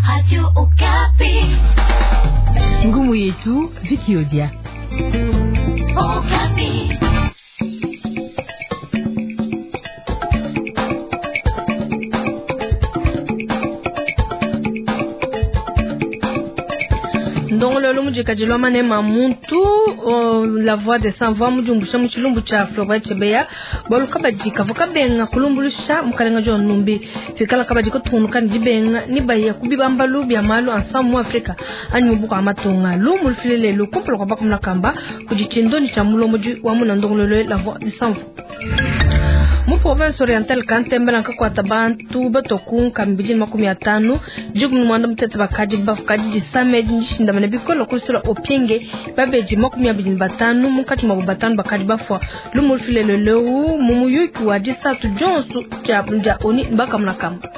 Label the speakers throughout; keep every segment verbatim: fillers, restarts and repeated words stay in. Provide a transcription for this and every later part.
Speaker 1: Radio Okapi.
Speaker 2: Ngumu yetu Vicky Odia.
Speaker 1: Okapi.
Speaker 3: Ndongololo mujikajilwa manema muntu la voix de sans voix mujumbusha mu tshilumbu tshia Floribert Chebeya bwalu kabadi kavua kabenga kulumbulusha mukalenga John Numbi fikala kabadi kutungunuka ne dibenga ni baya kubibambalu bia malu ensemble mu Afrika anyi mu buku amatonga lumu lufile lelu kumpala kwa bakumuna kamba kudi tshindoni tshia mulomodi wa muna ndongololo la voix de sans voix mu province orientale kantembela nkakwata bantu batoku nkambidi makumi atanu dikumi ni mwanda mutete bakadi bafukadi disame dindishindamana bikola kulusula opienge babeji makumi abidi ni batanu munkatshi mwabo batanu bakadi bafua lumu lufilelo leu mu muyuki wa disatu dionso dia oni bakamuna kamba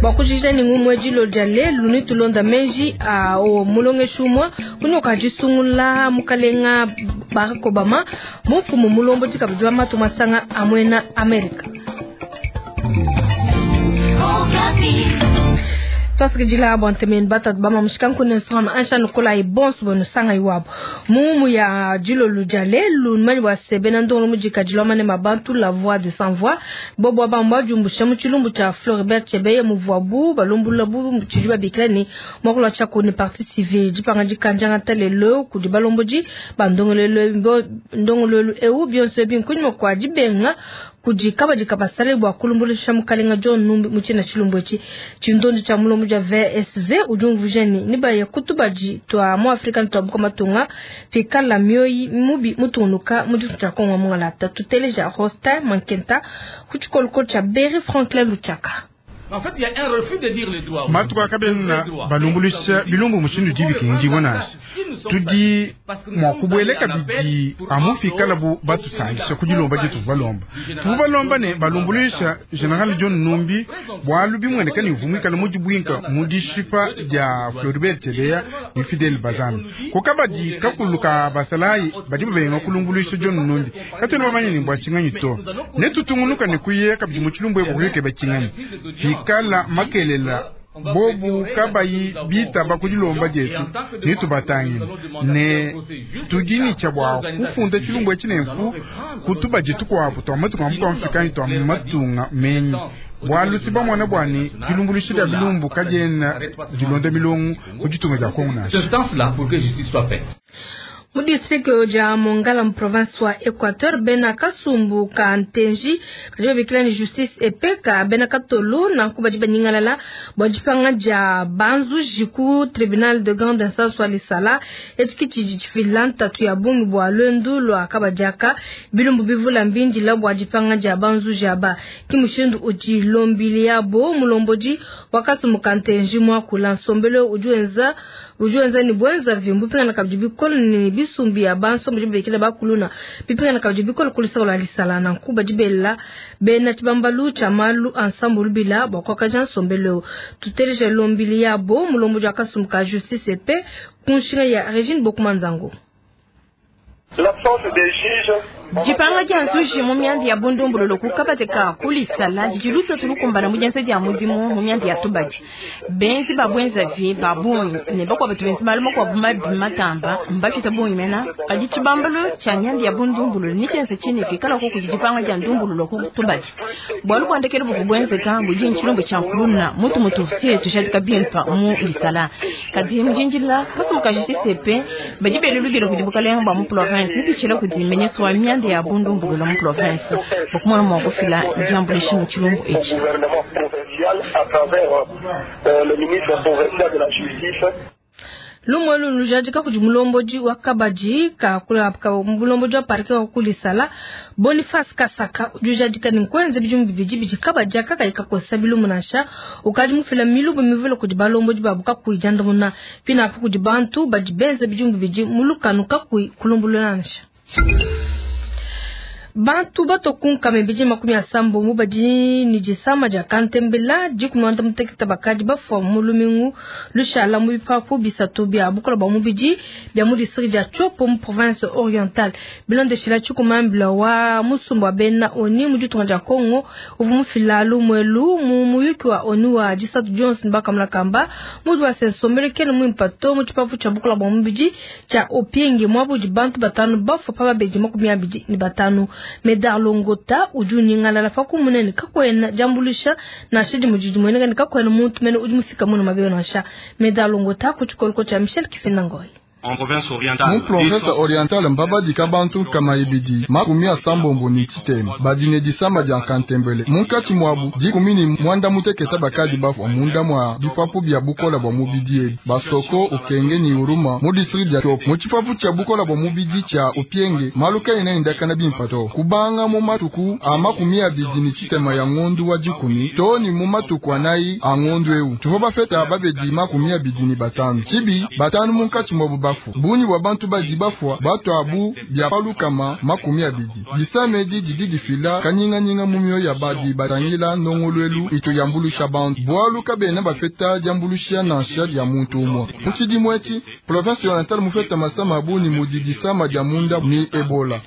Speaker 3: bwakujija ni ngumwe dilo dia lelu ni tulonda meji a o mulongeshi umwe kunyoka disungula mukalenga Barack Obama mumfumu mulombo dikabidi wa matu masanga amwena Amerika. Twasikijila abo ntemeni batatu bama mushikanku ne nsonga ansha nukola ibonso bono sanga iwabo mumu ya dilolu dia lelu numanyi bwa sebe na ndongolo mujikadilwa mane mabantu la voix de sans voix bobo abamba jumbusha mu tshilumbu tshia Floribert Chebeya muvuabu balumbulula bu tshidi babikila ni mwakulwa tshia kuni partie civile dipanga dikanjanga talelo kudi balombodi ba ndongololo ndongololo eu bionso ebinkunyima kwa dibenga kudi kabadi kabasale bwa kulumbulusha mukalenga John Numbi mu tshina tshilumbu etshi tshindondi tshia mulombo dia V S V udi umvuija ni baye kutubadi twa mu Afrika ni twa buka matunga pikala mioyi mubi mutunuka mu ditu tshia Kongo mungalata tuteleja Rostin Mankenta ku tshikoloko tshia Berry Franklin Luchaka.
Speaker 4: En fait, il y a un refus de dire les droits.
Speaker 5: Matuka kabena balumbuluisha bilumbu mushindu dibikingi bonasi tudi mwa kubueleka bidi amufikala bu batusangisha kudilomba ditu balomba tuvu balomba ne balumbuluisha General John Numbi bwalu bimweneka ni vumwikala mudibwinka mudishipa dia Floribert Chebeya ni Fidel Bazana kokabadi kakuluka basalayi badi babenga kulumbuluisha John Numbi katwena bamanye ni bwa tshinganyi to ne tutungunuka ne kuyeka bidi mu tshilumbu ebukuyeke batshinganyi fikala makelela bobu kabayi bitaba kudilomba dietu nitubatangile ne tudini tshia bwa kufunda tshilumbu etshi nenku kutuba dietu kuabu tua matunga amu tuamfikani tua matunga menyi bwalu si bamwana bwani dilumbuluisha dia bilumbu kadiena dilonda milongo ku ditunga dia Kongo nansha.
Speaker 3: Mu district dia Mongala mu province wa Equateur bena kasumbu ka ntenji kadi babikila ni justice epeka bena katolo nanku badi banyingalala bua dipanga dia banzuji ku tribunal de grande instance wa Lisala etshi tshidi tshifila ntatu ya bungi bua lwendu lua kabadiaka bilumbu bivula mbindila bua dipanga dia banzuji aba ki mushindu udi lombili yabo mulombodi wa kasumbu ka ntenji muakula nsombelo udi wenza udi wenza ni bwenza vimbu pingana kabidi bikolo ni bisumbi ya banso mudi bekele bakuluna bipingana kabidi bikolo kulisa la Lisala nanku badi bela bena tshibambalu tshia malu ensemble lubila bua kuakaja nsombelo tuteleje lombili yabo mulombo dia kasumbu ka justice epe kunshinga ya Regine Bokumanzango.
Speaker 6: Dipanga dia nzuji mu myanda ya bundumbulolo kukabateka kulisala didiluta tulukumbana mu dienza dia mudimu mu myanda ya tubadi benzi babwenza vi babungi ne bakwa batu benzi malu makuabu mabi matamba mbafita bungi mena kadi tshibambalo tshia myanda ya bundumbulolo ni tshienza tshine fikala ko kudi dipanga dia ndumbulolo ku tubadi bwalu bwandekele buvu bwenzeka budi ntshilumbu tshia nkuluna mutu mutufutie tushadika bimpa mu lisala kadi mujinjila kasumuka justice pe badi belulubila kudi bukalenga bwa mu province nipitshila kudi menyesi wa myanda ya bundumbulula mu province bokumona mwa kufila diambulishi mu tshilumbu etshi.
Speaker 3: Lumwe lunu jadika kudi mulombodi wa kabadi ka kula ka mulombodi wa parke wa kulisala Boniface Kasaka udi jadika ni nkwenze bidimu bibidi bidi kabadi aka kayi kakosa bilumu nansha ukadi mufila milubu mivule kudi balombodi babu kakuyi diandamuna pinapu kudi bantu badi benze bidimu bibidi mulukanu kakuyi kulumbulula nansha. Bantu batokunka mebidi makumi asambombo badi ni disama dia kantembela dikumi na mutekete bakadi bafua mu lumingu lushala mu bipapu bisatu bia bukola bua mubidi bia mu district dia Tshopo mu province orientale. Bilondeshila tshikumambila wa musumba wa bena oni mu ditunga dia Congo uvu mufila lumwelu mu muyuki wa onu wa disatu Johnson bakamula kamba mudi wa sensombele kene mu impato mu tshipapu tshia bukola bua mubidi tshia Opienge mwabudi bantu batanu bafua pa babedi makumi abidi ni batanu. Medar Longota udi unyingalala pa kumunene kakwena jambulisha nansha dimudi mweneka ni kakwena muntu mene udi mufika muno mabeyo nansha. Medar Longota ku tshikoloko tshia Michel Kifenda Ngoy.
Speaker 7: Mu province orientale mbabadika bantu kama ibidi makumi asambombo ni tshitema badine disama dia kantembele munkatshi muabu dikumi ni mwanda muteketa bakadi bafua munda mua bipapu bia bukola bua mubidi ebi basoko ukenge ni uruma mu district dia Tshopo mu tshipapu tshia bukola bua mubidi tshia Opienge maluka ina indakana bimpato kubanga mu matuku a makumi abidi ni tshitema ya ngondu wa dikumi to ni mu matuku anayi a ngondu eu tuvua bafeta babedi makumi abidi ni batanu tshibi batanu munkatshi muabu bafu bunyi bwa bantu badi bafua bato abu bya palukama makumi abidi disamedi didi difila kanyinganyinga mu mioyo ya badi batangila ndongoluelu ito yambulusha bantu bwalu kabena bafeta diambulusha nansha dia muntu umwe mu tshidimu etshi province orientale mufeta masama abuni mudi disama dia munda ni Ebola.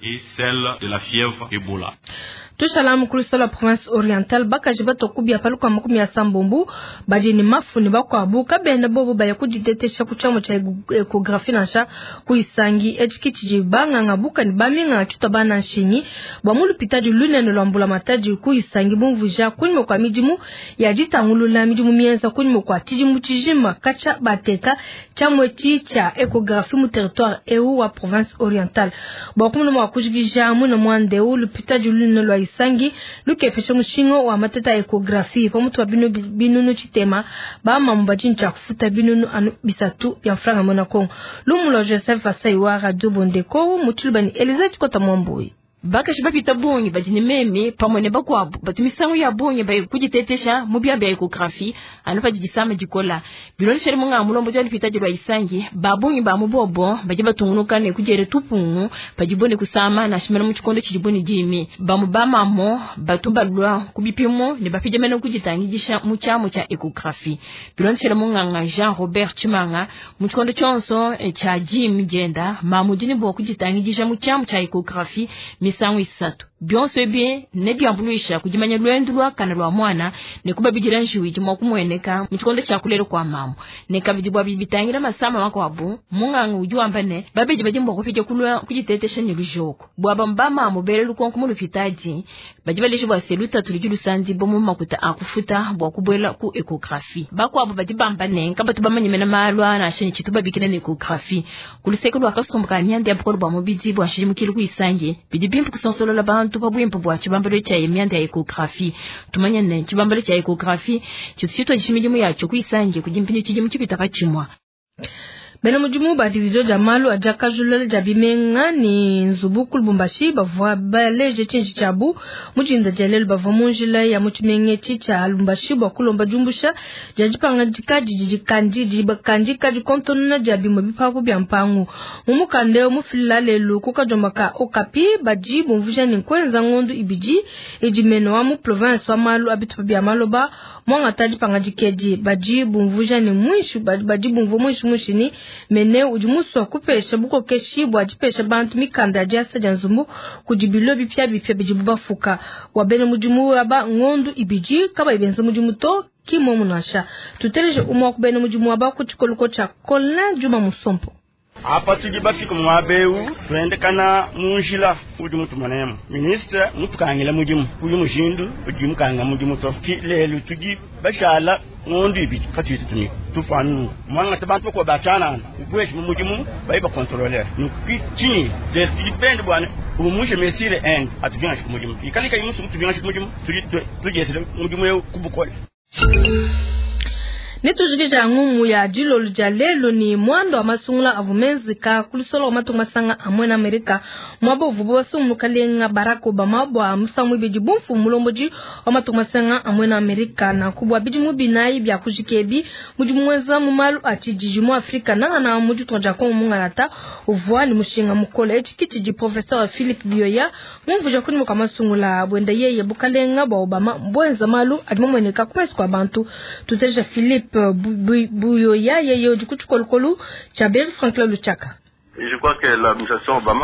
Speaker 3: Tushala mukulu la province orientale bakaji batokubia paluka makumi ya sambombu baje ni mafu ni bakwabu kabena bobo baya kujitetesha kuchamo cha echographie nansha kuisangi echikichi banganga buka ni baminga chito bana nshinyi bwa mulupita du lunene lwambula matadi kuisangi bumvuja kunyuma kwa midimu ya jitangulula midimu mienza kunyuma kwa tidimu tijima kacha bateka chamwe chicha echographie mu territoire eu wa province orientale bwa kumuna mwa kujigija muna mwande lupita du lunene lwa isangi lukepesha mushingo wa mateta echographie pamutu wa binu binunu chitema ba mamba jincha kufuta binunu anu bisatu ya franga mona Kongo lumulo Joseph Asai wa Radio Bondeko mutulubani Eliza Chikota Mwambui.
Speaker 6: Bakashi bapita bungi badi meme pamwe ne bakwabu batu misangu ya bungi bayi kujitetesha mu bya bya echographie anu padi disama dikola biloleshele munga mulombo jwa lipita jwa isangi babungi ba mubobo baje batungunuka ne kujere tupungu pajibone kusama na shimela mu chikondo chijibone jimi bamu bamamo batu balwa kubipimo ne bapije mene kujitangijisha mu chamo cha echographie biloleshele munga Jean Robert Chimanga mu chikondo chonso cha jimi jenda mamujini bo kujitangijisha mu chamo cha echographie misangu isatu byonse bie ne byambuluisha kujimanya lwendu lwa kana lwa mwana ne kubabijira njiwi jimwa kumweneka mu chikondo cha kulero kwa mamo ne kabijibwa bibitangira masama makwabu munganga ujuamba ne babeji bajimbo kupija kulwa kujitetesha ni lujoko bwaba mbama mubere lukonko mu lupitaji bajibalisha bwa seluta tulijulu sanzi bomu makuta akufuta bwa kubwela ku echographie bakwabo bajibamba ne kabatu bamanyemena malwa na shini chitubabikina ne echographie kuluseko lwa kasumbuka myandi ya bukolo bwa mubidi bwa shimukilu kuisange bidibimpu kusonsolola bantu pabwimpu bwa chibambalo cha myandi ya echographie tumanya ne chibambalo cha echographie chitsitwa chimidimu yacho kuisange kujimpinyo chijimu chipita pachimwa.
Speaker 3: Bena mudimu ba division ja malu aja kajulele ja bimenga ni nzubu ku Lubumbashi bavua baleje tshinji tshiabu mujinda dia lelu bavua mu njila ya mutshimenga etshi tshia Lubumbashi bua kulomba diumbusha dia dipangadika didi dikandi dibakandika dikontonona dia bimue bipapu bia mpangu mu mukanda eu mufilila lelu ku kadiomba ka Okapi badi bumvuija ne nkuenza ngondu ibidi idi mene wa mu province wa malu a bitupa bia maloba mwangata dipangadika edi badi bumvuija ne muinshi badi bumvua muinshi muinshi ni mene udi musua kupesha bukokeshi bua dipesha bantu mikanda ya diasa dia nzumbu kudi bilo bipya bipya bidibu bafuka bua bena mudimu aba ngondu ibidi kabayi benza mudimu to kimomu nansha tuteleje umwe wa ku bena mudimu aba ku tshikoloko tshia Colin Juma Musompo.
Speaker 8: Apa tudi bafika muabeu tuendekana munjila udi mutumonemo ministre mutukangila mudimu uyu mushindu udi mukanga mudimu to lelu tudi bashala ngondu ibidi katuyi tutumika tufanu mwangata bantu ko bachanana ubweshi mu mudimu bayi bakontrole nukichini lelu tudi bende bwana umushe mesire end atuvinga mudimu ikalika imusu tuvinga mudimu tudi tujesele mudimu eu kubukole.
Speaker 3: Netujikija ngumu ya dilolo dia lelo ni mwando wa masungula avumenzika kulusolo wa matunga masanga amwe na Amerika mwabo vubo basungu kalenga Barack Obama bwa musamwe bidi bumfu mulomboji wa matunga masanga amwe na Amerika na kubwa bidi mubinayi bya kujikebi mudi mwenza mu malu achijiji mu Afrika na na mudi tonja ko mungalata uvwa ni mushinga mukole chikiti di professeur Philippe Bioya mumvuja kuni mukamasungula bwenda yeye bukalenga bwa Obama mbwenza malu adimomweneka kumesi kwa bantu tuteja Philippe Buyoya yeye udi ku tshikolokolo tshia Berry Franklin Luchaka.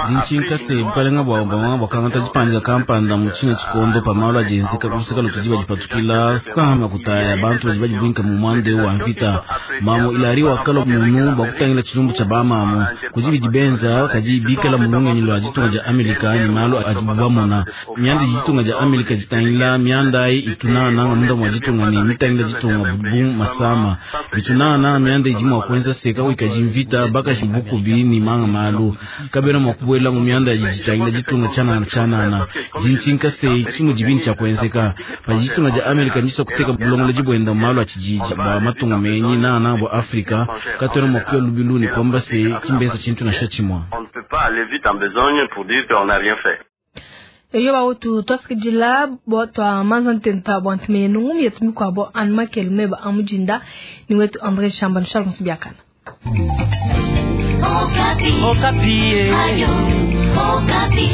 Speaker 9: Dinshinkase bukalenga bwa Obama bwakangata dipandika kampanda mu tshina tshikondo pamalo adienzeka kuseka lutudi badipatukila kukahama kutaya bantu badi badibwinka mu mwande wa mvita mamo ilari wakala munu bwakutangila tshilumbu tshia bamamu kudi bidi benza kadi bikala mulungenyi lwa ditunga dia Amerika ni malu adibu bamona mianda ditunga dia Amerika ditangila mianda itunana munda mwa ditunga ni mitangila ditunga bu masama bitunana mianda idi mwa kuenza seka wikaji mvita bakaji bukubi ni manga malu kabena mwakubwela mu mianda jitangila ditunga chanana chanana dinshinka se chimu jibini cha kuenzeka pa ditunga ja Amerika ndisa kuteka bulongola jibwenda malu achijiji ba matunga menyi na na bo Afrika katona mwakuya lubilu ni kwamba se kimbesa chintu na shachimwa.
Speaker 3: Eyo bautu twasikidila bo twa manza ntenta bwa ntimenu ngumi yetu mikwabo anmakelu meba amujinda ni wetu André Shamba Charles Nsubiakana.
Speaker 1: Okapi. Okapi. Ayo, Okapi.